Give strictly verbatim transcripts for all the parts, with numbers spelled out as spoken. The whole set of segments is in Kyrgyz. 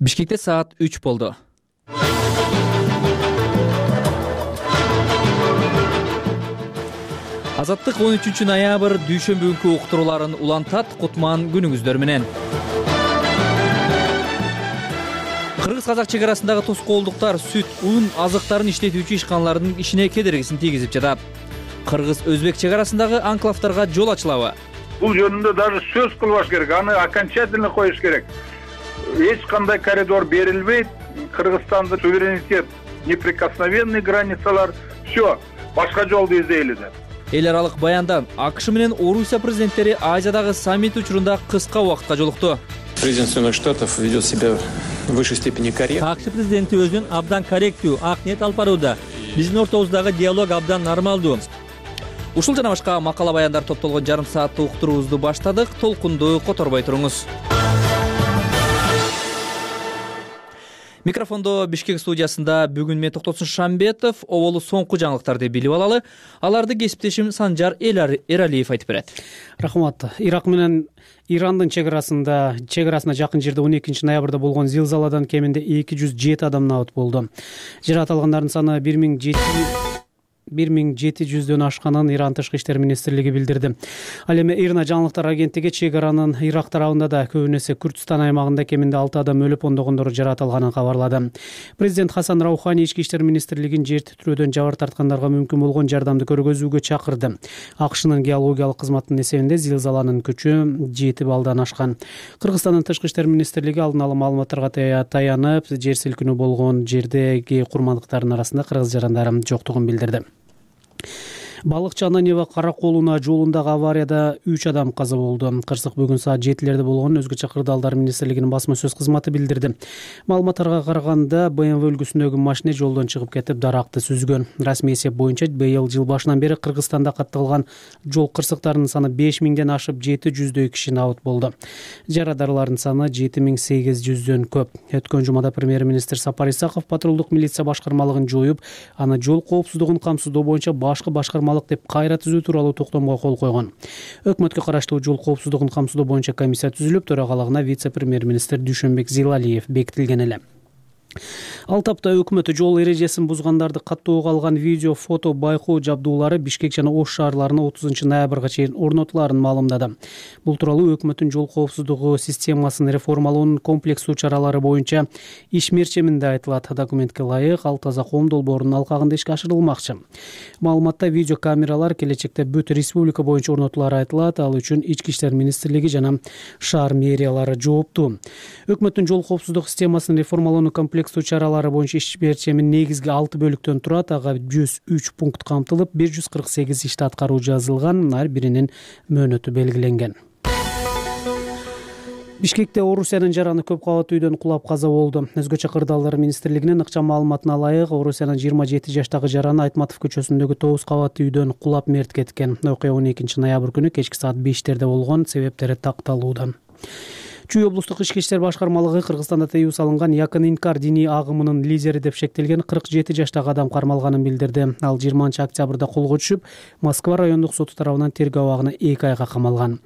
Бишкекте саат үч болду. Азаттык он үчүнчү ноябрь дүйшөмбү күнкү уктурууларын улантат. Кутман күнүңүздөр менен. Кыргыз-казак чек арасындагы тоскоолдуктар сүт, un, азыктарын иштетүүчү ишканалардын ишине кедергисин тийгизип жатат. Кыргыз-өзбек чек арасындагы анклавтарга жол ачылабы? Бул жөнүндө даже сөз кылбаш керек, аны окончательно коюш керек. Эч кандай коридор берилбейт. Кыргызстандын суверенитет, неприкосновенный границалар, все, башка жолду издейли деп. Эл аралык баяндан АКШ менен Орусия президенттери Азиядагы саммит учурунда кыска убакытка жолукту. Президент Соединенных Штатов ведет себя в высшей степени корректно. АКШ президенти өзүн абдан корректүү, ак ниет алып барууда. Биздин ортобуздагы диалог абдан нормалдуу. Ушул жана башка макала баяндар топтолгон жарым сааттык уктуруубузду баштадык. Толкунду которбой туруңуз. Микрофондо Бишкек студиясында бүгүн мен Токтосун Шамбетов. Оболу соңку жаңылыктарды билип алалы. Аларды кесиптешим Санжар Эралиев айтып берет. Рахмат. Ирак менен Ирандын чек арасында, чек арасына жакын жерде он экинчи ноябрда болгон зилзаладан кеминде эки жүз жети адам набыт болду. Жаракат алгандардын саны бир миң жети жүздөн ашканын Иран тышкы иштер министрлиги билдирди. Ал эми Ирна жаңылыктар агенттиги чек аранын Ирак тарабында да көбүн эсе Күрдүстан аймагында кеминде алты адам өлүп, ондогондору жаракат алганын кабарлады. Президент Хасан Раухани ички иштер министрлигин жер титирөөдөн жабыр тарткандарга мүмкүн болгон жардамды көргөзүүгө чакырды. АКШнын геологиялык кызматынын эсебинде зилзаланын күчү жети баллдан ашкан. Кыргызстандын тышкы иштер министрлиги алдын ала маалыматтарга таянып, жер силкинүү болгон жердеги курмандыктардын арасында кыргыз жарандары жоктугун билдирди. Балыкчы Ананьева Караколуна жолундагы аварияда үч адам каза болду. Кырсык бүгүн саат жетилерде болгон, өзгөчө Кырдаалдар министрлигинин басма сөз кызматы билдирди. Маалыматтарга караганда бэ эм вэ үлгүсүндөгү машина жолдон чыгып кетип, даракты сүзгөн. Расмий эсеп боюнча быйыл жыл башынан бери Кыргызстанда катталган жол кырсыктарынын саны беш миңден ашып, жети жүздөй киши набыт болду. Жарадарлардын саны жети миң сегиз жүздөн көп. Өткөн жумада премьер-министр Сапар Исаков патрулдук милиция башкармалыгын жоюп, аны жол коопсуздугун камсыздоо боюнча башкы башкарма деп кайра түзүү тууралуу токтомго кол койгон. Өкмөткө караштуу жол коопсуздугун камсыздоо боюнча комиссия түзүлүп, төрагалыгына вице-премьер-министр Дүйшөнбек Зилалиев бекитилген эле. Ал тапта өкмөтү жол эрежесин бузгандарды каттоого алган видео, фото, байкоо жабдуулары Бишкек жана Ош шаарларына отузунчу ноябрга чейин орнотуларын маалымдады. Бул тууралуу өкмөттүн жол коопсуздугу системасын реформалоонун комплекстүү чаралары боюнча иш мерчеминде айтылат. Документке ылайык ал таза коом долбоорунун алкагында ишке ашырылмакчы. Маалыматта видео камералар келечекте бүт республика боюнча орнотулары айтылат. Ал үчүн ички иштер министрлиги жана шаар мэриялары жооптуу. Өкмөттүн жол коопсуздук системасын реформалоонун комплекстүү чаралары боюнча иш мерчемин негизги алты бөлүктөн турат. Ага жүз үч пункт камтылып, бир жүз кырк сегиз ишти аткаруу жазылган, ар биринин мөөнөтү белгиленген. Бишкекте Орусиянын жараны көп кабаттуу үйдөн кулап каза болду. Өзгөчө Кырдаалдар министрлигинин ыкчам маалыматына ылайык, Орусиянын жыйырма жети жаштагы жараны Айтматов көчөсүндөгү тогуз кабаттуу үйдөн кулап мерт кеткен. Окуя он экинчи ноябрь күнү кечки саат бештерде болгон, себептери такталууда. Чүй облустук ички иштер башкармалыгы Кыргызстанда тыюу салынган якын инкар диний агымынын лидери деп шектелген кырк жети жаштагы адам кармалганын билдирди. Ал жыйырманчы октябрда колго түшүп, Москва райондук соту тарабынан тергөө абагына эки айга камалган.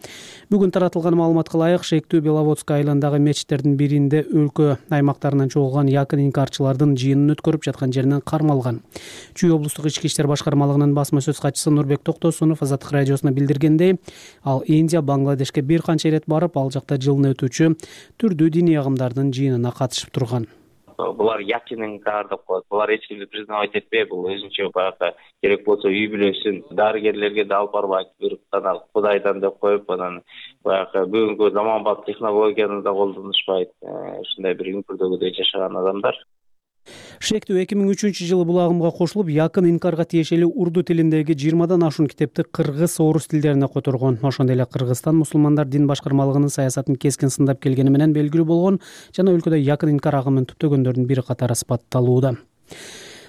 Бүгүн таратылган маалыматка ылайык, шектүү Беловодск айылындагы мечиттердин биринде өлкө аймактарынан чогулган якын инкарчылардын жыйынын өткөрүп жаткан жеринен кармалган. Чүй облустук ички иштер башкармалыгынын басма сөз катчысы Нурбек Токтосунов Азаттык радиосуна билдиргендей, ал Индия, Бангладешке бир канча ирет барып, ал жакта жылына өтүүчү түрдүү диний агымдардын жыйынына катышып турган. Булар якин инкар деп коет. Булар эч кимди признавать этпей, бул өзүнчө баягы керек болсо үй бүлөсүн дарыгерлерге да алып барбайт, бир гана Кудайдан деп коюп, анан баягы бүгүнкү заманбап технологияны да колдонушпайт. Ушундай бир үңкүрдөгүдөй жашаган адамдар. Шектүү эки миң үчүнчү жылы бул агымга кошулуп, якын инкарга тиешелүү урду тилиндеги жыйырмадан ашуун китепти кыргыз, орус тилдерине которгон. Ошондой эле Кыргызстан мусулмандар дин башкармалыгынын саясатын кескин сындап келгени менен белгилүү болгон жана өлкөдө якын инкар агымын түптөгөндөрдүн бири катары сыпатталууда.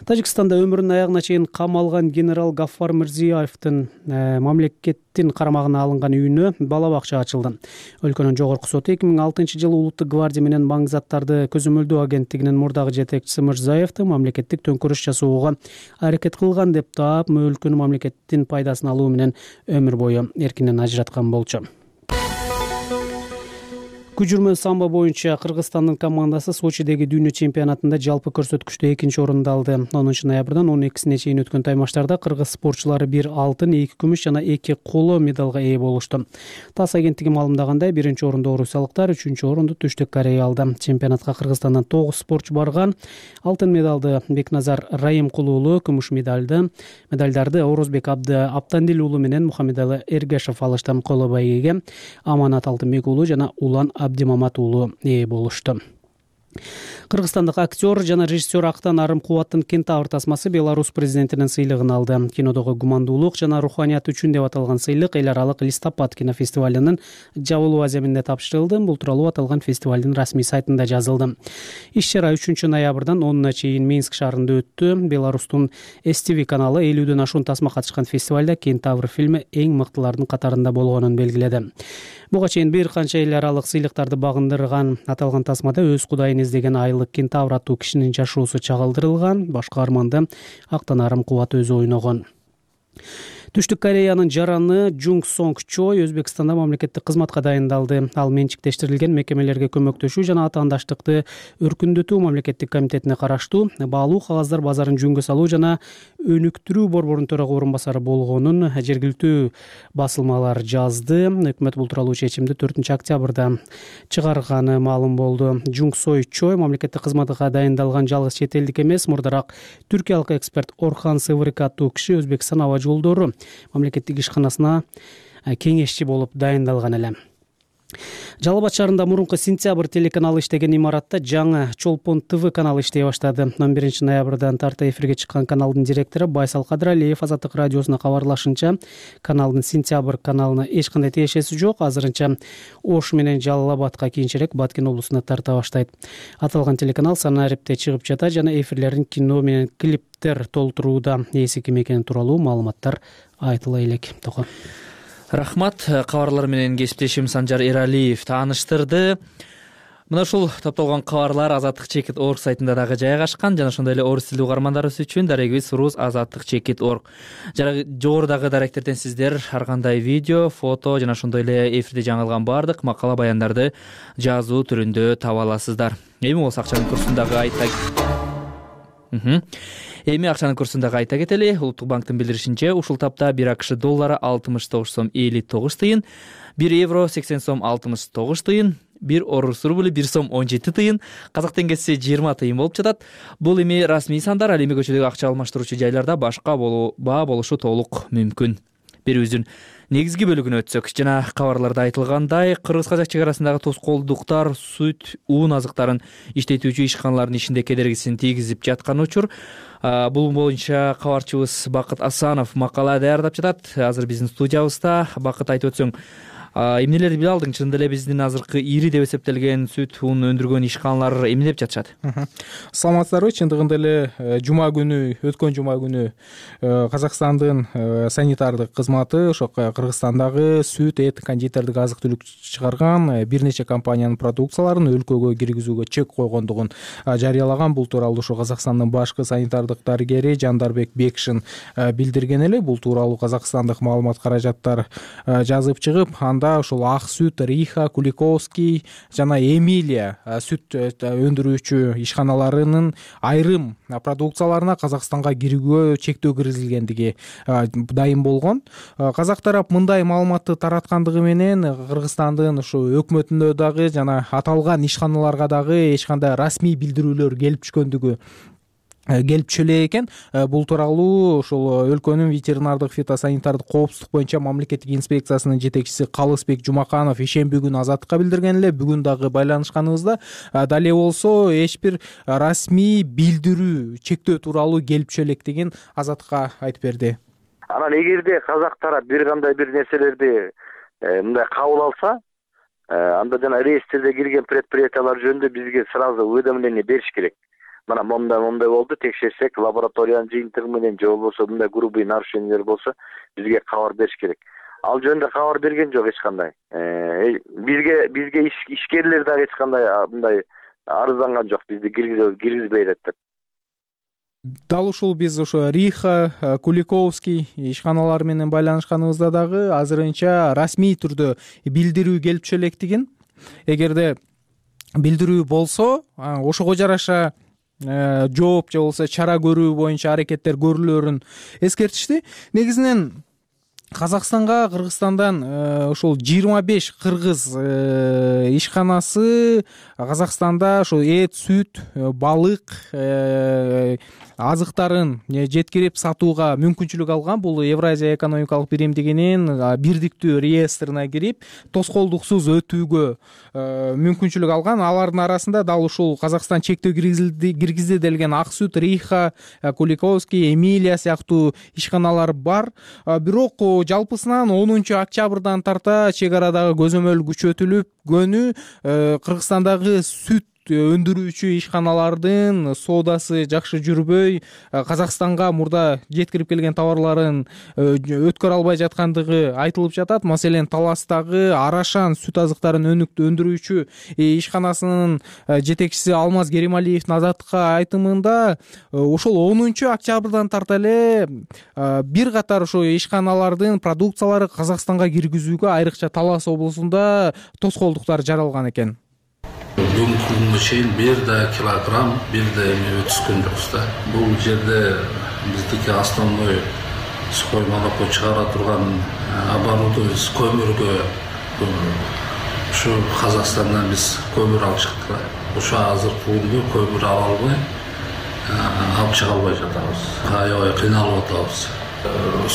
Тажикстанда өмүрүнүн аягына чейин кам алган генерал Гаффар Мирзиёевдин мамлекеттин карамагына алынган үйүнө бала бакча ачылды. Өлкөнүн жогорку соту эки миң алтынчы жылы Улуттук гвардия менен маң заттарды көзөмөлдөө агенттигинин мурдагы жетекчиси Мирзиёевди мамлекеттик төңкөрүш жасоого аракет кылган деп таап, өлкөнүн мамлекеттин пайдасын алуу менен өмүр бою эркинен ажыраткан болчу. Күжүрмө самбо боюнча Кыргызстандын командасы Сочидеги дүйнө чемпионатында жалпы көрсөткүчтө экинчи орунду алды. онунчу ноябрдан он экисине чейин өткөн таймаштарда кыргыз спортчулары бир алтын, эки күмүш жана эки коло медалга ээ болушту. ТАСС агенттиги маалымдагандай, биринчи орунду орусиялыктар, үчүнчү орунду Түштүк Корея алды. Чемпионатка Кыргызстандан тогуз спортчу барган. Алтын медалды Бекназар Райымкул уулу, күмүш медалды медалдарды Орозбек Абды Аптандил уулу менен Мухаммедалы Эргашев алышты. Коло байгеге Аманат Алтынбек уулу жана Улан Абдимамат уулу ээ болушту. Кыргызстандык актер жана режиссер Актан Арымкубаттын Кентавр тасмасы Беларусь президентинин сыйлыгын алды. Кинодогу гумандуулук жана руханият үчүн деп аталган сыйлык эл аралык Листопад кинофестивалынын жабылуу аземинде тапшырылды. Бул тууралуу аталган фестивалдын расмий сайтында жазылды. Иш-чара үчүнчү ноябрдан онуна чейин Минск шаарында өттү. Беларустун эс ти ви каналы элүүдөн ашуун тасма катышкан фестивалда Кентавр фильми эң мыктылардын катарында болгонун белгиледи. Буга чейин бир канча эл аралык сыйлыктарды багындырган аталган тасмада өз кудайын издеген айлык Кентавр аттуу кишинин жашоосу чагылдырылган. Башкы арманды Актан Арымкубат өзү ойногон. Түштүк Кореянын жараны Жунг Сонг Чой Өзбекстанда мамлекеттик кызматка дайындалды. Ал менчиктештирилген мекемелерге көмөктөшүү жана атаандаштыкты өркүндөтүү мамлекеттик комитетине караштуу баалуу кагаздар базарын жөнгө салуу жана өнүктүрүү борборунун төрага орун басары болгонун жергиликтүү басылмалар жазды. Өкмөт бул тууралуу чечимди төртүнчү октябрда чыгарганы маалым болду. Жунг Сой Чой мамлекеттик кызматка дайындалган жалгыз чет элдик эмес. Мурдараак түркиялык эксперт Орхан Сывырык аттуу киши Өзбекстан аба жолдору мамлекеттик ишканасына кеңешчи болуп дайындалган эле. Жалал Абад шаарында мурунку Сентябрь телеканалы иштеген имаратта жаңы Чолпон ТВ каналы иштей баштады. он биринчи ноябрдан тарта эфирге чыккан каналдын директору Байсал Кадыралиев Азаттык радиосуна кабарлашынча, каналдын Сентябрь каналына эч кандай тиешеси жок. Азырынча Ош менен Жалал Абадка, кийинчерээк Баткен облусуна тарта баштайт. Аталган телеканал Санарипте чыгып жатат жана эфирлерин кино менен клиптер толтурууда. Ээси ким экени тууралуу маалыматтар айтыла элек. Тoko. Рахмат. Кабарлар менен кесиптешим Санжар Эралиев тааныштырды. Мына ушул топтолгон кабарлар азаттык чекит точка орг сайтында дагы жайгашкан жана ошондой эле орус тилдүү угармандарыбыз үчүн дарегибиз рус азаттык чекит точка орг. Жана жогорудагы даректерден сиздер ар кандай видео, фото жана ошондой эле эфирде жаңылган баардык макала баяндарды жазуу түрүндө таба аласыздар. Эми болсо акчанын курсундагы айта Эми акчанын курсундагы айта кетели. Улуттук банктын билдиришинче, ушул тапта бир АКШ доллары алтымыш тогуз сом элүү тогуз тыйын, бир евро сексен сом алтымыш тогуз тыйын, бир орус рубль бир сом он жети тыйын, казак теңгеси жыйырма тыйын болуп жатат. Бул эми расмий сандар, ал эми көчөдөгү акча алмаштыруучу жайларда башка баа болушу толук мүмкүн. Берүүбүздүн негизги бөлүгүнө өтсөк, жана кабарларда айтылгандай, кыргыз-казак чек арасындагы тоскоолдуктар сүт, уун азыктарын иштетүүчү ишканалардын ишинде кедергисин тийгизип жаткан учур. Бул боюнча кабарчыбыз Бакыт Асанов макала даярдап жатат. Азыр биздин студиябызда. Бакыт, айтып өтсөң, эмнелерди биле алдың? Чындап эле биздин азыркы ири деп эсептелген сүт, ун өндүргөн ишканалар эмне деп жатышат? Саламатсыздарбы? Чындыгында эле жума күнү, өткөн жума күнү Казакстандын санитардык кызматы ошо Кыргызстандагы сүт, эт, кондитердик азык-түлүк чыгарган бир нече компаниянын продукцияларын өлкөгө киргизүүгө чек койгондугун жарыялаган. Бул тууралуу ошо Казакстандын башкы санитардык дарыгери Жандарбек Бекшин билдирген эле. Бул тууралуу казакстандык маалымат каражаттар жазып чыгып, анда ошол Ак сүт, Риха, Куликовский жана Эмилия сүт өндүрүүчү ишканаларынын айрым продукцияларына Казакстанга кирүүгө чектөө киргизилгендиги дайым болгон. Казак тарап мындай маалыматты тараткандыгы менен Кыргызстандын ушу өкмөтүнө дагы жана аталган ишканаларга дагы эч кандай расмий билдирүүлөр келип түшкөндүгү келип түшө элек экен. Бул тууралуу ошол өлкөнүн ветеринардык фитосанитардык коопсуздук боюнча мамлекеттик инспекциясынын жетекчиси Калысбек Жумаканов ишемби күнү Азаттыкка билдирген эле. Бүгүн дагы байланышканыбызда дале болсо эч бир расмий билдирүү, чектөө тууралуу келип түшө электигин Азаттыкка айтып берди. Анан эгерде казак тарап бир кандай бир нерселерди мындай кабыл алса, анда жана реестрде кирген предприятиялар жөнүндө бизге сразу уведомление бериш керек. Мына мондай мондай болду, текшерсек, лабораториянын жыйынтыгы менен же болбосо мындай грубый нарушениялер болсо бизге кабар бериш керек. Ал жөнүндө кабар берген жок эч кандай. Бизге бизге ишкерлер дагы эч кандай мындай арызданган жок, бизди киргизбейт деп. Дал ушул биз ошо Риха, Куликовский ишканалары менен байланышканыбызда дагы азырынча расмий түрдө билдирүү келип түшө электигин, эгерде билдирүү болсо ошого жараша жооп же болбосо чара көрүү боюнча аракеттер көрүлөрүн эскертишти. Негизинен Казакстанга Кыргызстандан ошол жыйырма беш кыргыз ишканасы Казакстанда ошо эт, сүт, балык азыктарын жеткирип сатууга мүмкүнчүлүк алган. Бул Евразия экономикалык биримдигинин бирдиктүү реестрине кирип тоскоолдуксуз өтүүгө мүмкүнчүлүк алган. Алардын арасында дал ушул Казакстан чектөө киргизди делген Ак Сүт, Риха, Куликовский, Эмилия сыяктуу ишканалар бар. Бирок жалпысынан онунчу октябрдан тарта чек арадагы көзөмөл күчөтүлүп, гөнү Кыргызстандагы сүт өндүрүүчү ишканалардын соодасы жакшы жүрбөй, Казакстанга мурда жеткирип келген товарларын өткөрө албай жаткандыгы айтылып жатат. Маселен, Таластагы Арашан сүт азыктарын өндүрүүчү ишканасынын жетекчиси Алмаз Керималиевдин Азаттыкка айтымында ошол онунчу октябрдан тарта эле бир катар ошо ишканалардын продукциялары Казакстанга киргизүүгө айрыкча Талас облусунда тоскоолдуктар жаралган экен. Бүгүнкү күнгө чейин бир да килограмм, бир да эме өткөн жокпуз да. Бул жерде биздики основной скоймалыкка чыгара турган оборудование көмүргө ушу Казакстандан биз көмүр алып чыктык. Ошо азыркы күндө көмүр ала албай, алып чыга албай жатабыз. Аябай кыйналып атабыз.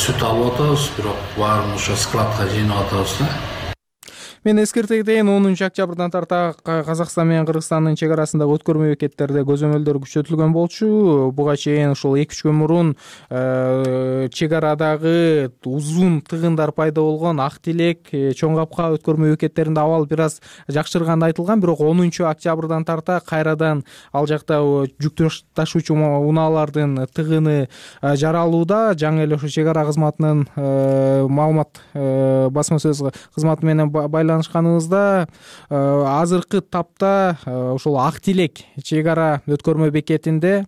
Сүт алып атабыз, бирок баарын ошо складка жыйнап атабыз да. Мен эскерте кетейин, онунчу октябрдан тарта Казакстан менен Кыргызстандын чек арасындагы өткөрмө бекеттерде көзөмөлдөр күчөтүлгөн болчу. Буга чейин ушул эки үч күн мурун чек арадагы узун тыгындар пайда болгон Ак Тилек, Чоң Капка өткөрмө бекеттеринде абал бир аз жакшырганы айтылган. Бирок онунчу октябрдан тарта кайрадан ал жакта жүк ташуучу унаалардын тыгыны жаралууда. Жаңы эле ошо чек ара кызматынын маалымат басма сөз кызматы менен байланышканыбызда азыркы тапта ошол Ак Тилек чек ара өткөрмө бекетинде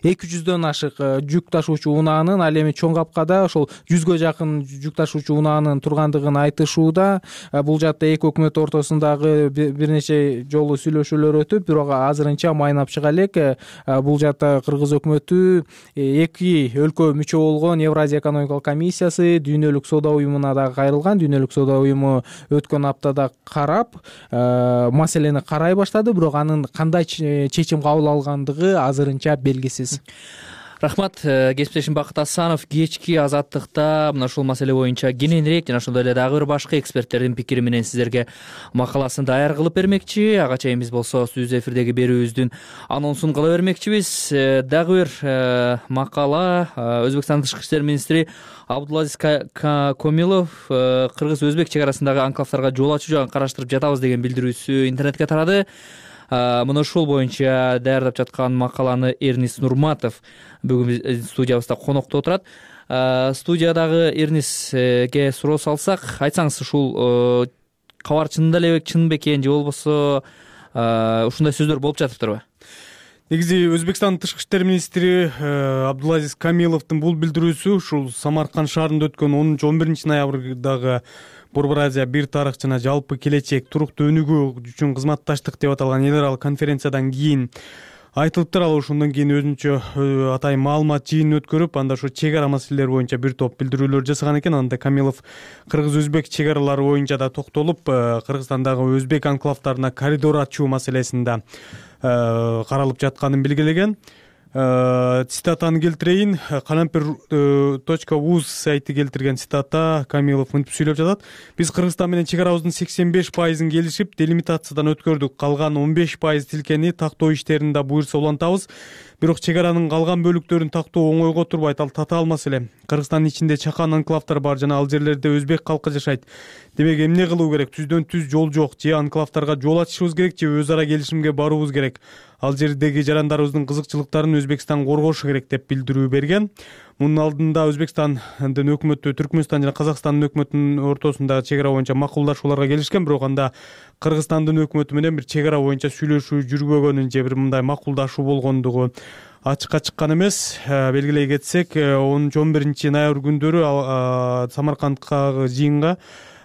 эки жүздөн ашык жүк ташуучу унаанын, ал эми Чоң Капкада ошол жүзгө жакын жүк ташуучу унаанын тургандыгын айтышууда. Бул жакта эки өкмөт ортосундагы бир нече жолу сүйлөшүүлөр өтүп, бирок азырынча майнап чыга элек. Бул жакта Кыргыз өкмөтү эки өлкө мүчө болгон Евразия экономикалык комиссиясы Дүйнөлүк соода уюмуна да кайрылган. Дүйнөлүк соода уюму өткөн аптада карап, маселени карай баштады, бирок анын кандай чечим кабыл алгандыгы азырынча белгисиз. Рахмат, кесиптешим Бакыт Асанов кечки Азаттыкта мына ушул маселе боюнча кененирээк жана ошондой эле дагы бир башка эксперттердин пикири менен сиздерге макаласын даяр кылып бермекчи. Ага чейин биз болсо түз эфирдеги берүүбүздүн анонсун кыла бермекчибиз. Дагы бир макала Өзбекстандын тышкы иштер министри Абдулазиз Комилов кыргыз-өзбек чек арасындагы анклавдарга жол ачуу жагын караштырып жатабыз деген билдирүүсү интернетке тарады. Мына ушул боюнча даярдап жаткан макаланы Эрнис Нурматов бүгүн студиябызда конокто отурат. Студиядагы Эрниске суроо салсак, айтсаңыз, ушул кабар чынында эле чын бекен же болбосо ушундай сөздөр болуп жатыптырбы? Негизи Өзбекстандын тышкы иштер министри Абдулазиз Камиловдун бул билдирүүсү ушул Самарканд шаарында өткөн онунчу он биринчи ноябрдагы Борбор Азия бир тарых жана жалпы келечек туруктуу өнүгүү үчүн кызматташтык деп аталган эл аралык конференциядан кийин айтылыптыр. Ал ошондон кийин өзүнчө атайын маалымат жыйынын өткөрүп, анда ошо чек ара маселелери боюнча бир топ билдирүүлөр жасаган экен. Анда Камилов кыргыз-өзбек чек аралары боюнча да токтолуп, Кыргызстандагы өзбек анклавдарына коридор ачуу маселесинде каралып жатканын белгилеген. Цитатаны келтирейин. Калампир точка уз сайты келтирген цитата. Камилов мынтип сүйлөп жатат: биз Кыргызстан менен чек арабыздын сексен беш пайызын келишип, делимитациядан өткөрдүк. Калган он беш пайыз тилкени тактоо иштерин да буйрса улантабыз. Бирок чек аранын калган бөлүктөрүн тактоо оңойго турбайт. Ал татаал маселе. Кыргызстандын ичинде чакан анклавдар бар жана ал жерлерде өзбек калкы жашайт. Демек эмне кылуу керек? Түздөн түз жол жок. Же анклавдарга жол ачышыбыз керек, же өз ара келишимге баруубуз керек. Ал жердеги жарандарыбыздын кызыкчылыктарын Өзбекстан коргошу керек деп билдирүү берген. Мунун алдында Өзбекстандын өкмөтү Түркмөнстан жана Казакстандын өкмөтүнүн ортосундагы чек ара боюнча макулдашууларга келишкен, бирок анда Кыргызстандын өкмөтү менен бир чек ара боюнча сүйлөшүү жүрбөгөнүн же бир мындай макулдашуу болгондугу ачыкка чыккан эмес. Белгилей кетсек, онунчу он биринчи ноябрь күндөрү Самарканддагы жыйынга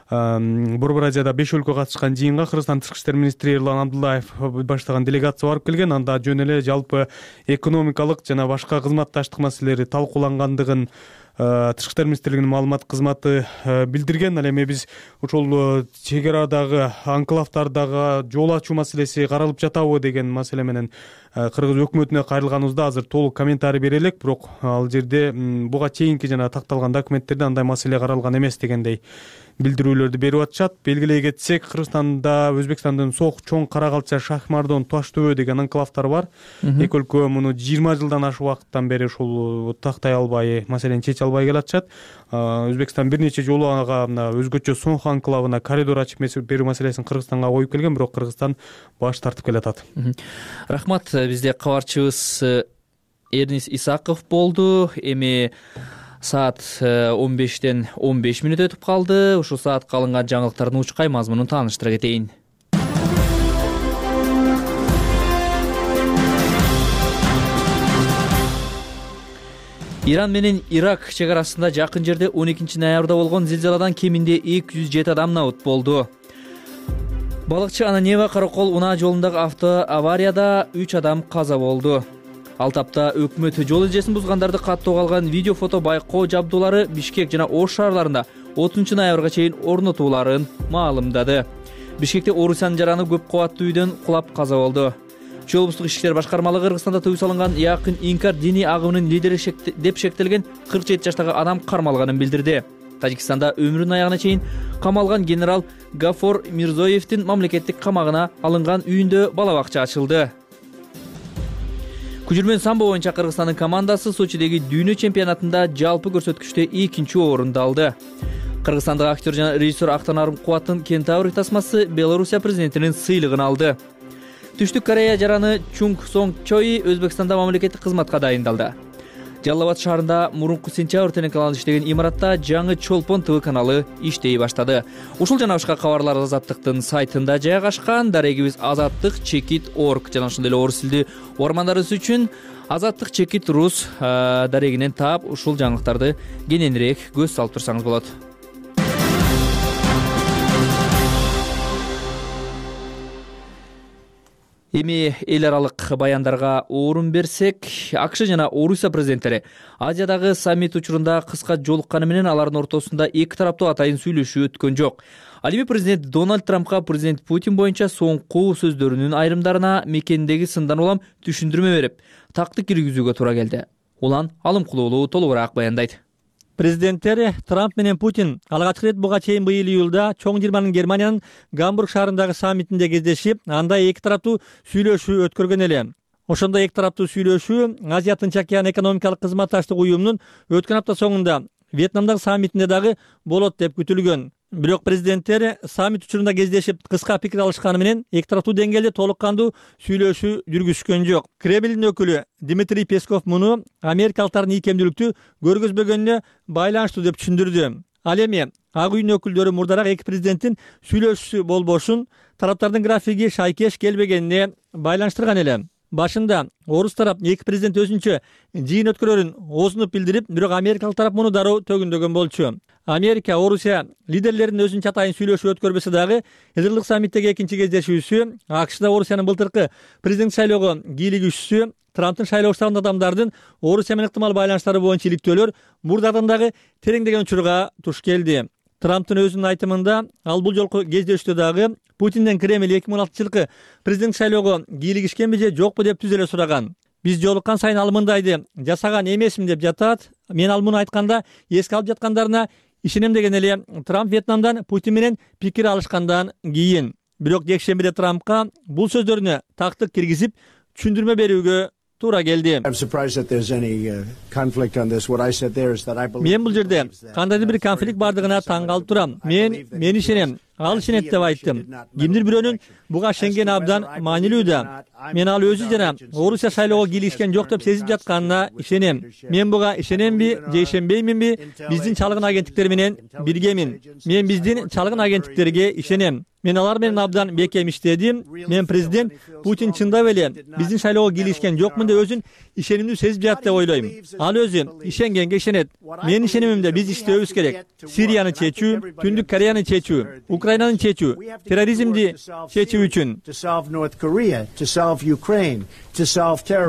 Борбор Азияда беш өлкө катышкан жыйынга Кыргызстан тышкы иштер министри Эрлан Абдуллаев баштаган делегация барып келген. Анда жөн эле жалпы экономикалык жана башка кызматташтык маселелери талкуулангандыгын тышкы иштер министрлигинин маалымат кызматы билдирген. Ал эми биз ошол чек арадагы анклавдардагы жол ачуу маселеси каралып жатабы деген маселе менен кыргыз өкмөтүнө кайрылганыбызда азыр толук комментарий бере элек, бирок ал жерде буга чейинки жана такталган документтерде андай маселе каралган эмес дегендей билдирүүлөрдү берип атышат. Белгилей кетсек, Кыргызстанда Өзбекстандын Сок, Чоң, Карагалча, Шахмардон, Таш төбө деген анклавдар бар. Эки өлкө муну жыйырма жылдан ашык убакыттан бери ушул тактай албай, маселени чече албай келатышат. Өзбекстан бир нече жолу ага өзгөчө Сонх анклавына коридор ачып берүү маселесин Кыргызстанга коюп келген, бирок Кыргызстан баш тартып келатат. Рахмат. Бизде кабарчыбыз Эрнис Исаков болду. Эми саат он бештен он беш мүнөт өтүп калды. Ушул саатка алынган жаңылыктардын учкай мазмунун тааныштыра кетейин. Иран менен Ирак чек арасында жакын жерде он экинчи ноябрда болгон зилзаладан кеминде эки жүз жети адам набыт болду. Балыкчы Ананева Каракол унаа жолундагы авто аварияда үч адам каза болду. Ал тапта өкмөт жол эрежесин бузгандарды каттоого алган видео фото байкоо жабдуулары Бишкек жана Ош шаарларында отузунчу ноябрга чейин орнотууларын маалымдады. Бишкекте Орусиянын жараны көп кабаттуу үйдөн кулап каза болду. Чүй облустук ишки иштер башкармалыгы Кыргызстанда тыюу салынган якын инкар диний агымынын лидери деп шектелген кырк жети жаштагы адам кармалганын билдирди. Тажикстанда өмүрүнүн аягына чейин камалган генерал Гафор Мирзоевдин мамлекеттик камагына алынган үйүндө бала бакча ачылды. Күжүрмөн самбо боюнча Кыргызстандын командасы Сочидеги дүйнө чемпионатында жалпы көрсөткүчтө экинчи орунду алды. Кыргызстандык актер жана режиссер Актанарым Кубаттын Кентавр тасмасы Белоруссия президентинин сыйлыгын алды. Түштүк Корея жараны Чунг Сонг Чои Өзбекстанда мамлекеттик кызматка дайындалды. Жалал Абад шаарында мурунку сентябрь телеканалы иштеген имаратта жаңы Чолпон ТВ каналы иштей баштады. Ушул жана башка кабарлар Азаттыктын сайтында жайгашкан. Дарегибиз азаттык чекит точка орг жана ошондой эле орус тилдүү угармандарыбыз үчүн азаттык чекит рус дарегинен таап ушул жаңылыктарды кененирээк көз салып турсаңыз болот. Эми эл аралык баяндарга орун берсек, АКШ жана Орусия президенттери Азиядагы саммит учурунда кыска жолукканы менен алардын ортосунда эки тараптуу атайын сүйлөшүү өткөн жок. Ал эми президент Дональд Трампка президент Путин боюнча соңку сөздөрүнүн айрымдарына мекендеги сындан улам түшүндүрмө берип, такты киргизүүгө туура келди. Улан Алымкулуулу толугураак баяндайт. Президенттер Трамп менен Путин алгачкы ирет буга чейин быйыл июлда чоң жыйырманын Германиянын Гамбург шаарындагы саммитинде кездешип, анда эки тараптуу сүйлөшүү өткөргөн эле. Ошондой эки тараптуу сүйлөшүү Азия Тынч океан экономикалык кызматташтык уюмунун өткөн апта соңунда Вьетнамдагы саммитинде дагы болот деп күтүлгөн. Бирок президенттер саммит учурунда кездешип, кыска пикир алышканы менен эки тараптуу деңгээлде толук кандуу сүйлөшүү жүргүзүшкөн жок. Кремлдин өкүлү Дмитрий Песков муну америкалыктардын ийкемдүүлүктү көргөзбөгөнүнө байланыштуу деп түшүндүрдү. Ал эми Ак үйдүн өкүлдөрү мурдараак эки президенттин сүйлөшүүсү болбошун тараптардын графиги шайкеш келбегенине байланыштырган эле. Башында орус тарап эки президент өзүнчө жыйын өткөрөрүн оозунуп билдирип, бирок америкалык тарап муну дароо төгүндөгөн болчу. Америка, Орусия лидерлеринин өзүнчө атайын сүйлөшүү өткөрбөсө дагы, Элдирлик саммиттеги экинчи кездешүүсү АКШда Орусиянын былтыркы президент шайлоого кийлигүүчүсү Трамптын шайлоо штабында адамдардын Орусия менен ыктымал байланыштары боюнча иликтөөлөр мурдадан дагы тереңдеген учурга туш келди. Трамптын өзүнүн айтымында ал бул жолку кездешүүдө дагы Путинден Кремль эки миң он алтынчы жылкы президент шайлоого кийлигишкенби же жокпу деп түз эле сураган. Биз жолуккан сайын ал мындайды жасаган эмесмин деп жатат. Мен ал муну айтканда эске алып жаткандарына ишенем деген эле Трамп Вьетнамдан Путин менен пикир алышкандан кийин. Бирок жекшембиде Трампка бул сөздөрүнө тактык киргизип түшүндүрмө берүүгө туура келди. Мен бул жерде кандайдыр бир конфликт бардыгына таң калып турам. Мен мен ишенем. ал ишенет деп айттым. Кимдир бирөөнүн буга ишенгени абдан маанилүү да. Мен ал өзү жана Орусия шайлоого кийлигишкен жок деп сезип жатканына ишенем. Мен буга ишенемби же ишенбейминби? Биздин чалгын агенттиктер менен биргемин. Мен биздин чалгын агенттиктерге ишенем. Мен алар менен абдан бекем иштедим. Мен президент Путин чындап эле биздин шайлоого кийлигишкен жокмун деп өзүн ишенимдүү сезип жатат деп ойлойм. Ал өзү ишенгенге ишенет. Менин ишенимимде биз иштөөбүз керек. Сирияны чечүү, Түндүк Кореяны чечүү, Украинаны чечүү, терроризмди чечүү үчүн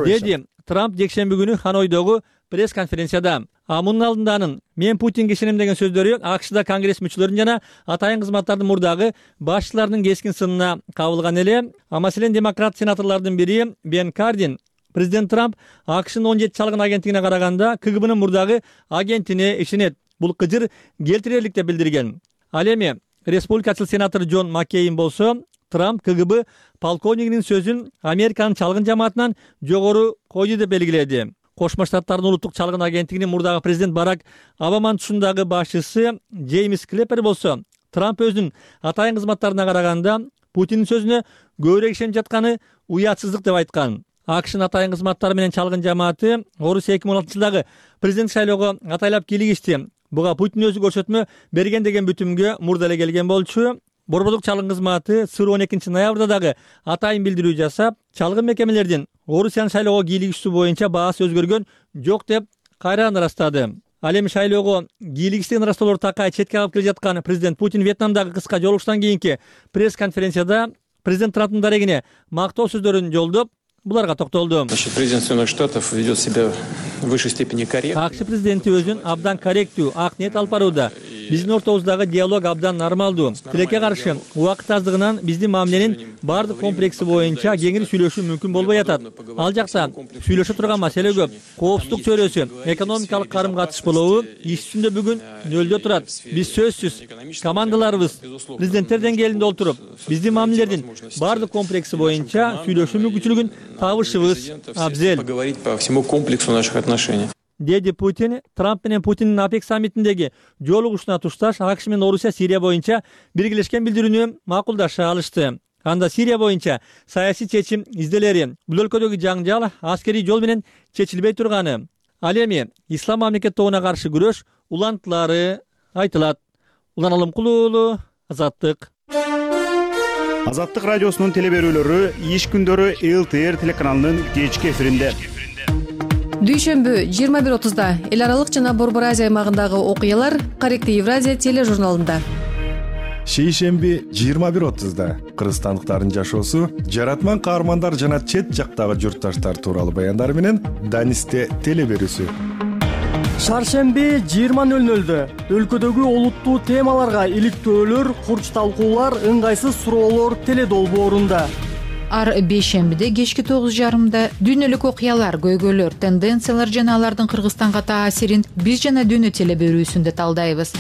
деди Трамп жекшемби күнү Ханойдогу пресс конференцияда. А мунун алдында анын мен Путинге ишенем деген сөздөрү АКШда Конгресс мүчөлөрүнүн жана атайын кызматтардын мурдагы башчыларынын кескин сынына кабылган эле. А маселен демократ сенаторлордун бири Бен Кардин президент Трамп АКШнын он жети чалгын агенттигине караганда КГБнын мурдагы агентине ишенет. Бул кыжыр келтирерлик деп билдирген. Ал эми республикачыл сенатор Джон Маккейн болсо Трамп КГБ полковнигинин сөзүн Американын чалгын жамаатынан жогору койду деп белгиледи. Кошмо Штаттардын улуттук чалгын агенттигинин мурдагы президент Барак Обаманын тушундагы башчысы Джеймс Клеппер болсо Трамп өзүнүн атайын кызматтарына караганда Путиндин сөзүнө көбүрөөк ишенип жатканы уятсыздык деп айткан. АКШнын атайын кызматтары менен чалгын жамааты Орусия эки миң он алтынчы жылдагы президент шайлоого атайлап кийлигишти. Буга Путин өзү көрсөтмө берген деген бүтүмгө мурда эле келген болчу. Борбордук чалгын кызматы сыр он экинчи ноябрда дагы атайын билдирүү жасап, чалгын мекемелердин Орусиянын шайлоого кийлигишүүсү боюнча баасы өзгөргөн жок деп кайрадан ырастады. Ал эми шайлоого кийлигиштигин ырастоолор такай четке калып келе жаткан президент Путин Вьетнамдагы кыска жолугуштан кийинки пресс конференцияда президент Трамптын дарегине мактоо сөздөрүн жолдоп, буларга токтолду. Президент Соединенных Штатов ведет себя в высшей степени корректно. АКШ президенти өзүн абдан корректүү, ак ниет алып барууда. Биздин ортобуздагы диалог абдан нормалдуу. Тилекке каршы убакыт аздыгынан биздин мамиленин баардык комплекси боюнча кеңири сүйлөшүү мүмкүн болбой атат. Ал жакта сүйлөшө турган маселе көп. Коопсуздук чөйрөсү, экономикалык карым-катыш болобу иш жүзүндө бүгүн нөлдө турат. Биз сөзсүз командаларыбыз президенттер деңгээлинде олтуруп, биздин мамилелердин баардык комплекси боюнча сүйлөшүү мүмкүнчүлүгүн табышыбыз абзел. Поговорить по всему комплексу наших отношений. Деди Путин Трамп менен Путиндин АПЕК саммитиндеги жолугушууна тушташ АКШ менен Орусия Сирия боюнча биргелешкен билдирүүнү макулдаша алышты. Анда Сирия боюнча саясий чечим изделери, бул өлкөдөгү жаңжал аскерий жол менен чечилбей турганы, ал эми ислам мамлекеттигине каршы күрөш улантылары айтылат. Улан Алымкулуу, Азаттык. Азаттык радиосунун телеберүүлөрү иш күндөрү Эл Т Р телеканалынын кечки эфиринде. Дүйшөмбү жыйырма бир отузда эл аралык жана Борбор Азия аймагындагы окуялар Корректив Евразия тележурналында. Шейшемби жыйырма бир отузда кыргызстандыктардын жашоосу, жаратман каармандар жана чет жактагы журтташтар тууралуу баяндар менен Данисте телеберүүсү. Шаршемби жыйырма нөл нөлдө өлкөдөгү олуттуу темаларга иликтөөлөр, курч талкуулар, ыңгайсыз суроолор теледолбоорунда. Ар бейшембиде кечки тогуз жарымда дүйнөлүк окуялар, көйгөйлөр, тенденциялар жана алардын Кыргызстанга таасирин биз жана дүйнө телеберүүсүндө талдайбыз.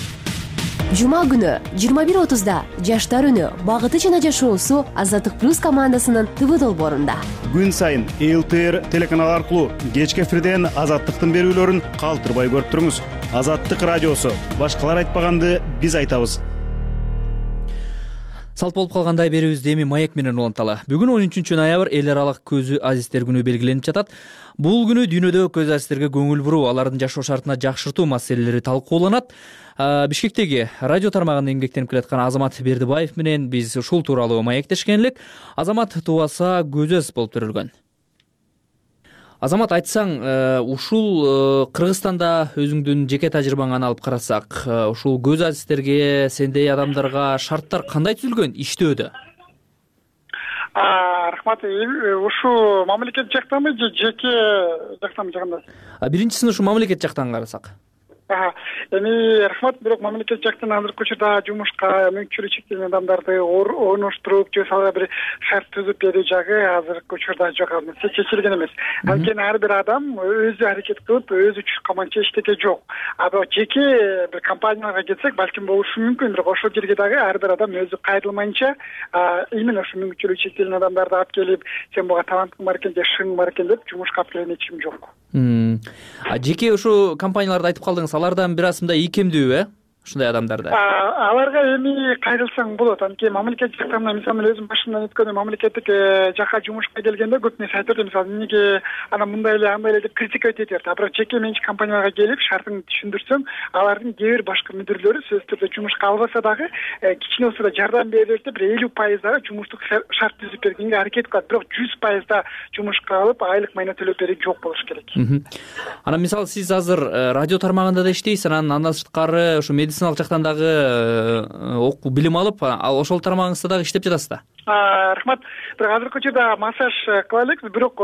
Жума күнү жыйырма бир отузда жаштар үнү, багыты жана жашоосу Азаттык плюс командасынын ТВ долбоорунда. Күн сайын Эл Т Р телеканалы аркылуу кечки эфирден Азаттыктын берүүлөрүн калтырбай көрүп туруңуз. Азаттык радиосу, башкалар айтпаганды биз айтабыз. Салт болуп калгандай берүүбүздү эми маек менен уланталы. Бүгүн он үчүнчү ноябрь эл аралык көзү азиздер күнү белгиленип жатат. Бул күнү дүйнөдө көз азиздерге көңүл буруу, алардын жашоо шартына жакшыртуу маселелери талкууланат. Бишкектеги радио тармагында эмгектенип келаткан Азамат Бердибаев менен биз ушул тууралуу маектешкен элек. Азамат тубаса көз аз болуп төрөлгөн. Азамат, айтсаң, ушул Кыргызстанда өзүңдүн жеке тажрыйбаңан алып карасак, ушул көз азиздерге, сендей адамдарга шарттар кандай түзүлгөн иштөөдө? Рахмат. Ушул мамлекет жактанбы же жеке жактанбы жагында? Биринчисин ушу мамлекет жактан карасак. Эми рахмат, бирок мамлекет жактан азыркы учурда жумушка мүмкүнчүлүгү чектелген адамдарды орноштуруп, же сага бир шарт түзүп берүү жагы азыркы учурда жок, чечилген эмес. Анткени ар бир адам өзү аракет кылып, өзү чуккаманча иштеге жок. А жеке бир компанияларга келсек, балким болушу мүмкүн, бирок ошол жерге дагы ар бир адам өзү кайрылмайынча, именно ошо мүмкүнчүлүгү чектелген адамдарды алып келип, сен буга талантың бар экен же шың бар экен деп жумушка алып келген эч ким жок. А жеке ушу компанияларды айтып калдыңыз, алардан бир асымда ийкемдүү, э? ушундай адамдарды? Аларга эми кайрылсаң болот. Анткени мамлекет жактан мисалы мен өзүм башымдан өткөн мамлекеттик жакка жумушка келгенде көп нерсе айтып берди. Мисалы эмнеге анан мындай эле андай эле деп критика өтөйт берди. А бирок жеке менчик компанияларга келип шартын түшүндүрсөм, алардын кээ бир башкы мүдүрлөрү сөзсүз түрдө жумушка албаса дагы кичине болсо да жардам берип деп бир элүү пайыз дагы жумуштук шарт түзүп бергенге аракет кылат. Бирок жүз пайыз да жумушка алып айлык майна төлөп берүү жок болуш керек. Анан мисалы сиз азыр радио тармагында да иштейсиз, анан андан сырткары ушу медициналык жактан дагы окуу билим алып, ал ошол тармагыңызда дагы иштеп жатасыз да? Рахмат. Бирок азыркы учурда массаж кыла элекпиз, бирок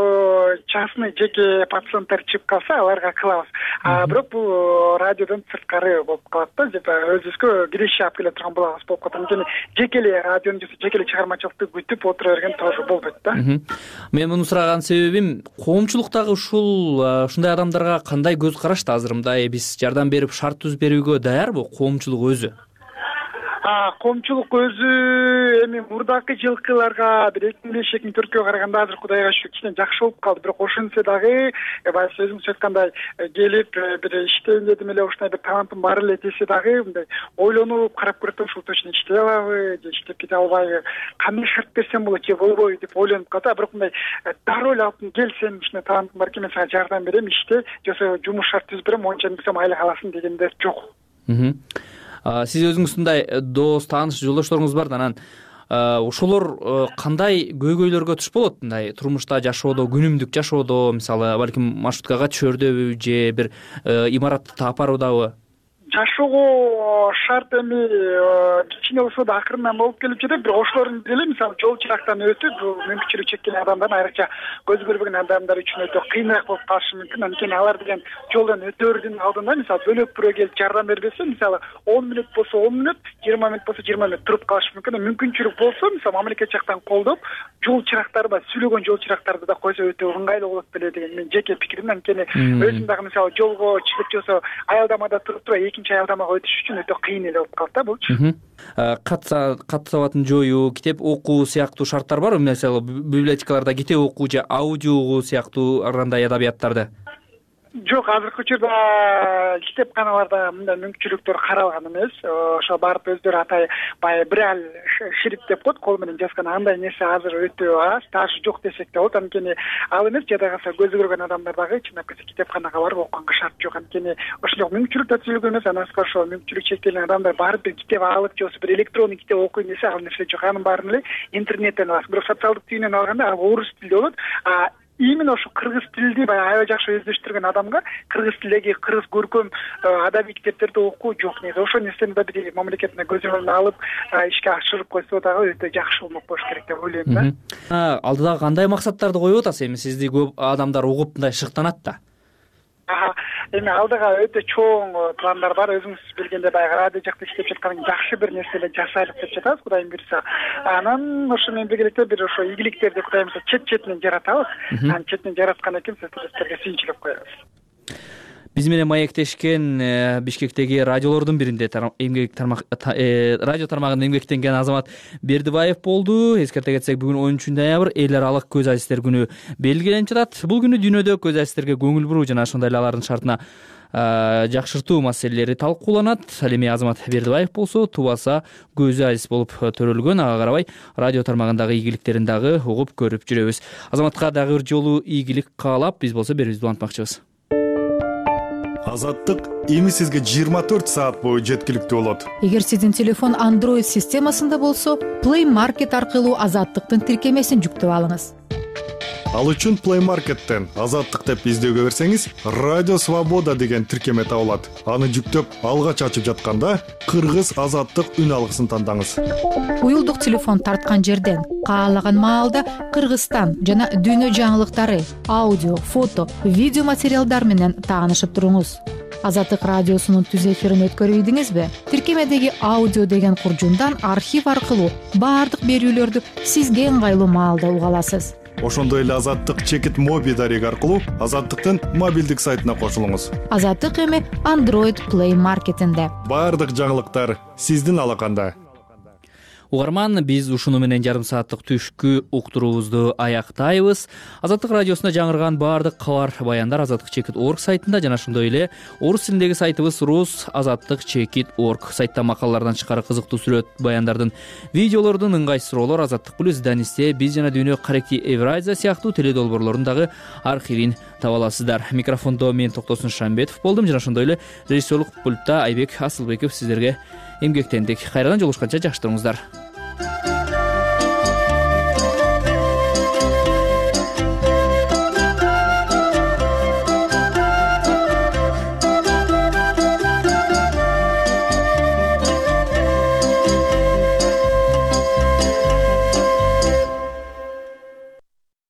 частный жеке пациенттер чыгып калса, аларга кылабыз. А бирок бул радиодон сырткары болуп калат да, деп өзүбүзгө киреше алып келе турган болобуз болуп калат. Анткени жеке эле радиону же жеке эле чыгармачылыкты күтүп отура берген тоже болбойт да. Мен муну сураган себебим, коомчулуктагы ушул ушундай адамдарга кандай көз карашта? Азыр мындай биз жардам берип шарт түзүп берүүгө даярбы коомчулук өзү? Коомчулук өзү эми мурдакы жылкыларга бир эки миң беш эки миң төрткө караганда азыр кудайга шүгүр кичине жакшы болуп калды. Бирок ошентсе дагы баягы өзүңүз айткандай келип бир иштейин дедим эле, ушундай бир талантым бар эле десе дагы мындай ойлонуп карап көрөт, ушул точно иштей алабы же иштеп кете албайбы, кандай шарт берсем болот же болбойбу деп ойлонуп калат. Бирок мындай дароо эле алып кел, сен ушундай талантың бар экен, мен сага жардам берем, иште, же болбосо жумуш шарт түзүп берем, монча берсем айлык аласың дегендер жок. Сиз өзүңүздүн дос, тааныш, жолдошторуңуз бар да, анан ошолор кандай көйгөйлөргө туш болот мындай турмушта жашоодо, күнүмдүк жашоодо, мисалы балким маршруткага түшөрдөбү же бир имаратты тапаруудабы? Жашоого шарт эми кичине болсо да акырындан болуп келип жатат, бирок ошолордун деле мисалы жол чырактан өтүп, бул мүмкүнчүлүгү чектелген адамдардын, айрыкча көз көрбөгөн адамдар үчүн өтө кыйыныраак болуп калышы мүмкүн. Анткени алар деген жолдон өтөөрдүн алдында мисалы бөлөк бирөө келип жардам бербесе, мисалы он мүнөт болсо он мүнөт, жыйырма мүнөт болсо жыйырма мүнөт туруп калышы мүмкүн. Мүмкүнчүлүк болсо, мисалы мамлекет жактан колдоп, жол чырактарды, сүйлөгөн жол чырактарды да койсо өтө ыңгайлуу болот беле деген менин жеке пикирим. Анткени өзүм дагы мисалы жолго чыгып жосо аялдамада туруп туруп экинчи аялдамага өтүш үчүн өтө кыйын эле болуп калат да булчу. Кат сабатын жоюу, китеп окуу сыяктуу шарттар барбы? Мисалы библиотекаларда китеп окуу же аудио угуу сыяктуу андай адабияттарды? Жок, азыркы учурда китепканаларда мындай мүмкүнчүлүктөр каралган эмес. Ошо барып өздөрү атай баягы браль шрифт деп коет, кол менен жазган, андай нерсе азыр өтө аз, даже жок десек да болот. Анткени ал эмес, жада калса көзү көргөн адамдар дагы чындап келсе китепканага барып окуганга шарт жок. Анткени ошондой мүмкүнчүлүк да түзүлгөн эмес. Анан ошо мүмкүнчүлүк чектелген адамдар барып бир китеп алып же болбосо бир электрондук китеп окуйм десе, ал нерсе жок. Анын баарын эле интернеттен аласың. Бирок социалдык түйүнөн алганда ал орус тилде болот. А именно ошо кыргыз тилди баягы аябай жакшы өздөштүргөн адамга кыргыз тилдеги кыргыз көркөм адабий китептерди окуу жок негизи. Ошол нерсени да бир мамлекеттин көз önүнө алып ишке ашырып койсо дагы өтө жакшы болмок болуш керек деп ойлойм да. Алдыда кандай максаттарды коюп атасыз? Эми сизди көп адамдар угуп мындай шыктанат да. Эми алдыга өтө чоң пландар бар. Өзүңүз билгендей баягы радио жакта иштеп жаткан жакшы бир нерсе эле жасайлык деп жатабыз, Кудайым буйрса. Анан ошо менен биргеликте бир ошо ийгиликтерди Кудайым буйрса чет-четинен жаратабыз. Анан четинен жараткан экен, сиздерге сүйүнчүлүк коебуз. Биз менен маектешкен Бишкектеги радиолордун биринде эмгек тармак радио тармагында эмгектенген Азамат Бердибаев болду. Эскерте кетсек, бүгүн он үчүнчү ноябрь эл аралык көз азиздер күнү белгиленип жатат. Бул күнү дүйнөдө көз азиздерге көңүл буруу жана ошондой эле алардын шартына жакшыртуу маселелери талкууланат. Ал эми Азамат Бердибаев болсо тубаса көзү азиз болуп төрөлгөн. Ага карабай радио тармагындагы ийгиликтерин дагы угуп көрүп жүрөбүз. Азаматка дагы бир жолу ийгилик каалап, биз болсо берүүбүздү улантмакчыбыз. Азаттык эми сизге жыйырма төрт саат бою жеткиликтүү болот. Эгер сиздин телефон Android системасында болсо, Play Market аркылуу Азаттыктын тиркемесин жүктөп алыңыз. Ал үчүн Play Market'тен Азаттык деп издөөгө берсеңиз, Радио Свобода деген тиркеме табылат. Аны жүктөп алгач ачып жатканда Кыргыз Азаттык үн алгысын тандаңыз. Уюлдук телефон тарткан жерден каалаган маалда Кыргызстан жана дүйнө жаңылыктары, аудио, фото, видео материалдар менен таанышып туруңуз. Азаттык радиосунун түз эфирин өткөрүп ийдиңизби? Тиркемедеги аудио деген куржундан архив аркылуу баардык берүүлөрдү сизге ыңгайлуу маалда уга аласыз. Ошондой эле Азаттык чекит моби дареги аркылуу Азаттыктын мобилдик сайтына кошулуңуз. Азаттык эми Android Play Market'инде. Баардык жаңылыктар сиздин алаканда. угарман, биз ушуну менен жарым сааттык түшкү уктуруубузду аяктайбыз. Азаттык радиосунда жаңырган баардык кабар баяндар азаттык чекит орг сайтында жана ошондой эле орус тилиндеги сайтыбыз рус азаттык чекит орг. Сайтта макалалардан тышкары кызыктуу сүрөт баяндардын, видеолордун, ыңгай суроолор, азаттык плюс, Данисте, Биз жана дүйнө, Каректи Евразия сыяктуу теледолбоорлордун дагы архивин таба аласыздар. Микрофондо мен Токтосун Шамбетов болдум жана ошондой эле режиссерлук пультта Айбек Асылбеков сиздерге эмгектендик. Кайрадан жолугушканча жакшы туруңуздар.